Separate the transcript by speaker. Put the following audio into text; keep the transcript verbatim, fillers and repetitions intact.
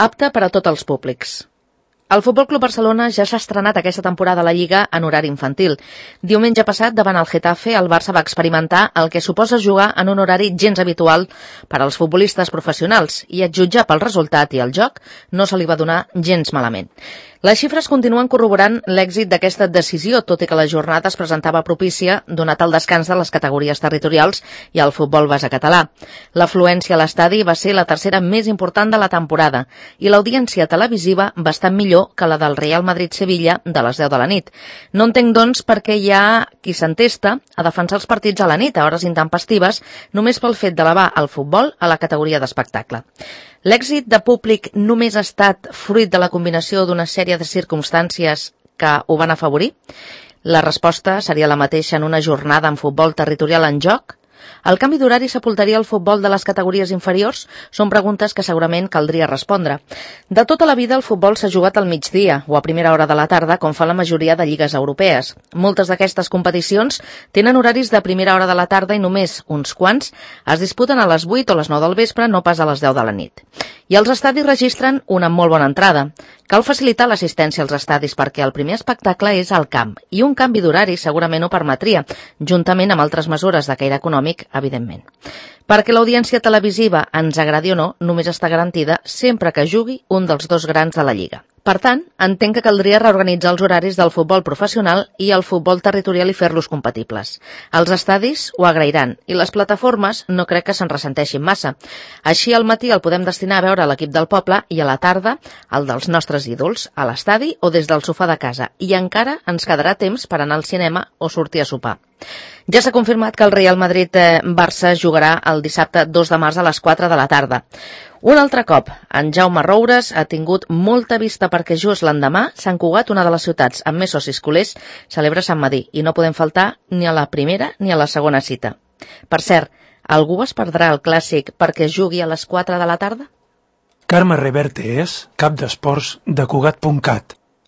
Speaker 1: apte per a tots els públics. El Futbol Club Barcelona ja s'ha estrenat aquesta temporada a la Lliga en horari infantil. Diumenge passat, davant el Getafe, el Barça va experimentar el que suposa jugar en un horari gens habitual per als futbolistes professionals i, a jutjar pel resultat i el joc, no se li va donar gens malament. Les xifres continuen corroborant l'èxit d'aquesta decisió, tot i que la jornada es presentava propícia donat el descans de les categories territorials i el futbol base català. L'afluència a l'estadi va ser la tercera més important de la temporada i l'audiència televisiva bastant millor que la del Real Madrid-Sevilla de les deu de la nit. No entenc, doncs, per què hi ha qui s'entesta a defensar els partits a la nit a hores intempestives només pel fet d'elevar el futbol a la categoria d'espectacle. L'èxit de públic només ha estat fruit de la combinació d'una sèrie de circumstàncies que ho van afavorir? La resposta seria la mateixa en una jornada amb futbol territorial en joc? El canvi d'horari sepultaria el futbol de les categories inferiors? Són preguntes que segurament caldria respondre. De tota la vida el futbol s'ha jugat al migdia o a primera hora de la tarda, com fa la majoria de lligues europees. Moltes d'aquestes competicions tenen horaris de primera hora de la tarda i només uns quants es disputen a les vuit o les nou del vespre, no pas a les deu de la nit. I els estadis registren una molt bona entrada. Cal facilitar l'assistència als estadis perquè el primer espectacle és al camp i un canvi d'horari segurament ho permetria, juntament amb altres mesures de caire econòmic, evidentment. Perquè l'audiència televisiva ens agradi o no, només està garantida sempre que jugui un dels dos grans de la Lliga. Per tant, entenc que caldria reorganitzar els horaris del futbol professional i el futbol territorial i fer-los compatibles. Els estadis ho agrairan i les plataformes no crec que se'n ressenteixin massa. Així al matí el podem destinar a veure l'equip del poble i a la tarda el dels nostres ídols, a l'estadi o des del sofà de casa. I encara ens quedarà temps per anar al cinema o sortir a sopar. Ja s'ha confirmat que el Real Madrid-Barça jugarà el dissabte dos de març a les quatre de la tarda. Un altre cop, en Jaume Roures ha tingut molta vista perquè just l'endemà Sant Cugat, una de les ciutats amb més socis culers, celebra Sant Madí i no podem faltar ni a la primera ni a la segona cita. Per cert, algú es perdrà el clàssic perquè jugui a les quatre de la tarda?
Speaker 2: Carme Reverte és cap d'esports de Cugat punt cat.